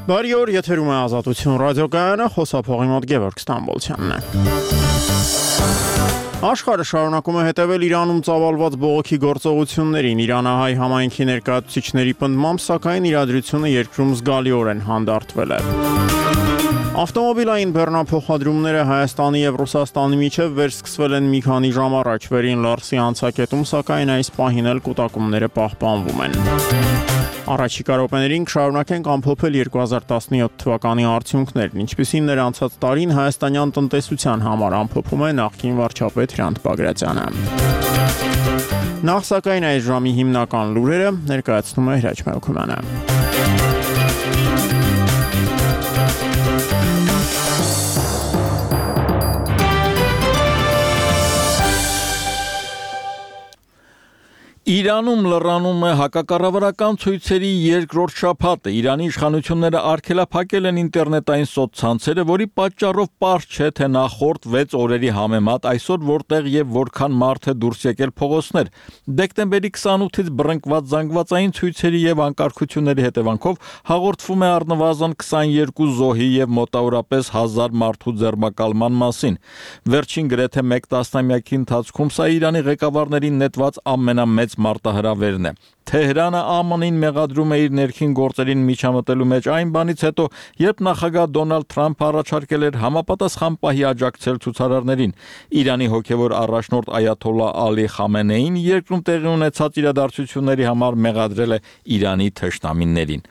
Բարի օր, եթերում է Ազատություն ռադիոկայանը, խոսափողի մոտ Գևորգ Ստամբոլցյանն է։ Աշխարհը շարունակում է հետևել Իրանում ծավալված բողոքի գործողություններին։ Իրանահայ համայնքի ներկայացուցիչների պնդմամբ, սակայն իրադրությունը երկրում զգալիորեն հանդարտվել է։ Ավտոմոբիլային բեռնափոխադրումները Հայաստանի և Ռուսաստանի միջև վերսկսվել են մի քանի ժամ առաջ։ Վերին Լարսի անցակետում, սակայն այս պահին էլ կուտակումները պահպանվում են։ Առաջիկա րոպեներին կշարունակենք ամփոփել 2017 թվականի արդյունքներն, ինչպիսին էր անցած տարին հայաստանյան տնտեսության համար, ամփոփում է նախկին վարչապետ Հրանտ Բագրատյանը։ Նախ սակայն այս ժամի հիմնական լուրերը ներկայացնում է Հրաչ Մելքումյանը։ Իրանում լռանում է հակակառավարական ցույցերի երկրորդ շաբաթը։ Իրանի իշխանությունները արգելափակել են ինտերնետային սոցցանցերը, որի պատճառով պարզ չէ, թե նախորդ 6 օրերի համեմատ այսօր որտեղ եւ որքան մարդ է դուրս եկել փողոցներ։ Դեկտեմբերի 28-ից բռնկված զանգվածային ցույցերի եւ անկարգությունների հետևանքով հաղորդվում է առնվազն 22 զոհի եւ մոտավորապես 1000 մարդու ձերբակալման մասին։ Վերջին գրեթե 1 տասնամյակի ընթացքում սա Իրանի ղեկավարներին նետված ամենամեծ մարտահրավերն է։ Թեհրանը ԱՄՆ-ին մեղադրում է իր ներքին գործերին միջամտելու մեջ այն բանից հետո, երբ նախագահ Դոնալդ Թրամփը առաջարկել էր համապատասխան պահի աջակցել ցուցարարներին։ Իրանի հոգևոր առաջնորդ Այաթոլլահ Ալի Խամենեին երկրում տեղի ունեցած իրադարձությունների համար մեղադրել է Իրանի թշնամիներին։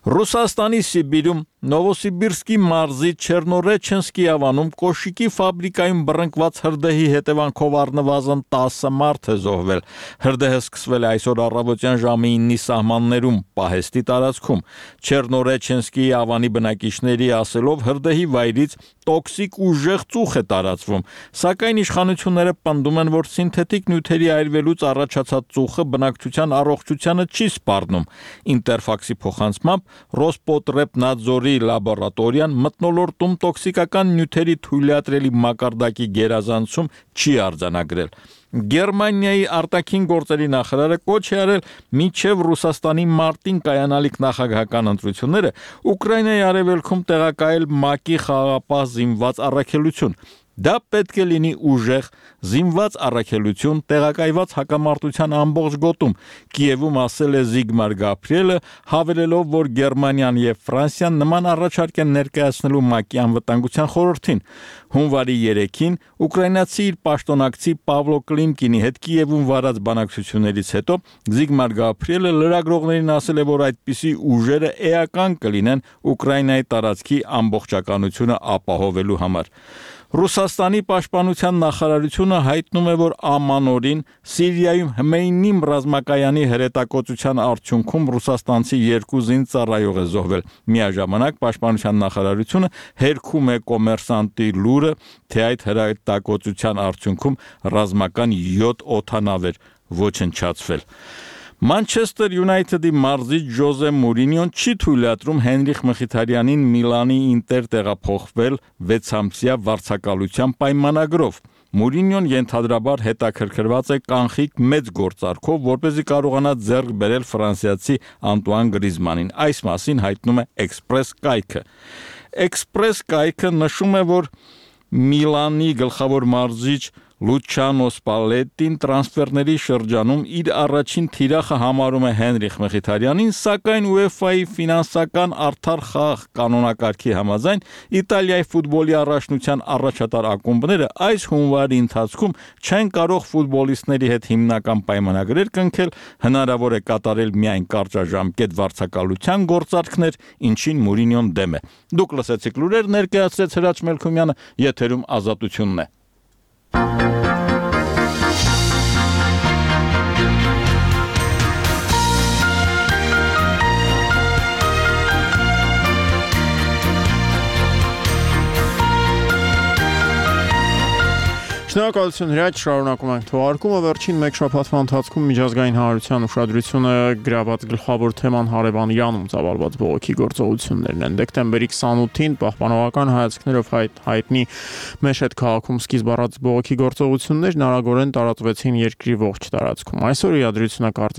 Ռուսաստանի Սիբիրում Նովոսիբիրսկի մարզի Չեռնորեչենսկի ավանում կոշիկի ֆաբրիկայում բռնկված հրդեհի հետևանքով առնվազն 10 մարդ է զոհվել։ Հրդեհը սկսվել է այսօր առավոտյան ժամի 9-ի սահմաններում Պահեստի տարածքում։ Չեռնորեչենսկի ավանի բնակիչների ասելով հրդեհի վայրից տոքսիկ ուժեղ ծուխ է տարածվում, սակայն իշխանությունները պնդում են, որ սինթետիկ նյութերի այրվելուց առաջացած ծուխը բնակչության առողջությանը չի սպառնում։ Ինտերֆաքսի փոխանցմամբ Ռոսպոտրեբնadzorի լաբորատորիան մթնոլորտում տոքսիկական նյութերի թույլատրելի մակարդակի գերազանցում չի արձանագրել։ Գերմանիայի արտաքին գործերի նախարարը կոչ է արել մինչև Ռուսաստանի մարտին կայանալիք նախագահական ընտրությունները Ուկրաինայի արևելքում տեղակայել ՄԱԿ-ի խաղաղապահ զինված առաքելություն։ Դա պետք է լինի ուժեղ զինված առաքելություն տեղակայված հակամարտության ամբողջ գոտում, Կիևում ասել է Զիգմար Գաբրիելը, հավելելով, որ Գերմանիան եւ Ֆրանսիան նման առաջարկ են ներկայացնելու ՄԱԿ-ի անվտանգության խորհրդին։ Հունվարի 3-ին ուկրաինացի իր պաշտոնակցի Պավլո Կլիմկինի հետ Կիևում վարած բանակցություններից հետո Զիգմար Գաբրիելը լրագրողներին ասել է, որ այդպիսի ուժերը էական կլինեն Ուկրաինայի տարածքի ամբողջականությունը ապահովելու համար։ Ռուսաստանի պաշտպանության նախարարությունը հայտնում է, որ ամանորին Սիրիայում Հմեյնիմ ռազմակայանի հրետակոծության արդյունքում ռուսաստանցի 2 զինծառայող է զոհվել։ Միաժամանակ պաշտպանության նախարարությունը հերքում է կոմերսանտի լուրը, թե այդ հրետակոծության արդյունքում ռազմական 7 օդանավ էր ոչնչացվել։ Մանչեսթեր Յունայթեդի մարզիչ Ջոզե Մուրինյոն չի թույլատրում Հենրիխ Մխիթարյանին Միլանի Ինտեր տեղափոխվել 6-ամսյա վարձակալության պայմանագրով։ Մուրինյոն ենթադրաբար հետաքրքրված է կանխիկ մեծ գործարքով, որպեսզի կարողանա ձեռք բերել ֆրանսիացի Անտուան Գրիզմանին։ Այս մասին հայտնում է Էքսպրես կայքը։ Էքսպրես կայքը նշում է, որ Միլանի գլխավոր մարզիչ Լուչանո Սպալետին տրանսֆերների շրջանում իր առաջին թիրախը համարում է Հենրիխ Մխիթարյանին, սակայն UEFA-ի ֆինանսական արդար խաղ կանոնակարգի համաձայն Իտալիայի ֆուտբոլի առաջնության առաջատար ակումբները այս հունվարի ընթացքում չեն կարող ֆուտբոլիստների հետ հիմնական պայմանագրեր կնքել, հնարավոր է կատարել միայն կարճաժամկետ վարձակալության գործարքներ, ինչին Մուրինյոն դեմ է։ Դուք լսեցիք լուրեր, ներկայացրեց Հրաչ Մելքումյանը, եթերում Ազատությունն է։ Շնորհակալություն Հրաչ, շարունակում ենք թողարկումը։ Վերջին մեկ շաբաթվա ընթացքում միջազգային հանրության ուշադրությունը գրաված գլխավոր թեման հարևան Իրանում ծավալված բողոքի գործողություններն են։ Դեկտեմբերի 28-ին պահպանողական հայացքներով հայտնի Մեշեդ քաղաքում սկիզբ առած բողոքի գործողություններն արագորեն տարածվեցին երկրի ողջ տարածքում։ Այսօր իրադրությունը կարծես